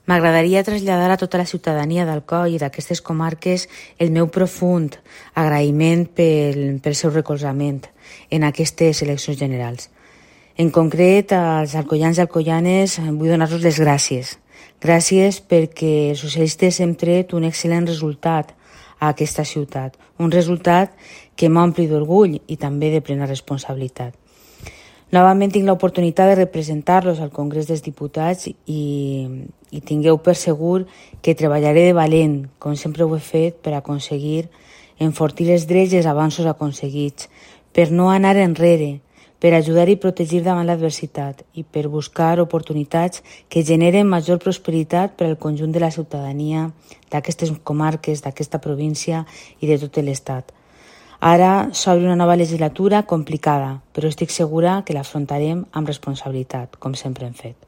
M'agradaria traslladar a tota la ciutadania d'Alcoi i d'aquestes comarques el meu profund agraïment pel seu recolzament en aquestes eleccions generals. En concret, als alcoians i alcoianes vull donar-los les gràcies. Gràcies perquè els socialistes hem tret un excel·lent resultat a aquesta ciutat, un resultat que m'ompli d'orgull i també de plena responsabilitat. Novament tinc l'oportunitat de representar-los al Congrés dels Diputats i tingueu per segur que treballaré de valent, com sempre ho he fet, per aconseguir enfortir els drets i els avanços aconseguits, per no anar enrere, per ajudar i protegir davant l'adversitat i per buscar oportunitats que generen major prosperitat per al conjunt de la ciutadania d'aquestes comarques, d'aquesta província i de tot l'Estat. Ara s'obre una nova legislatura complicada, però estic segura que l'afrontarem amb responsabilitat, com sempre hem fet.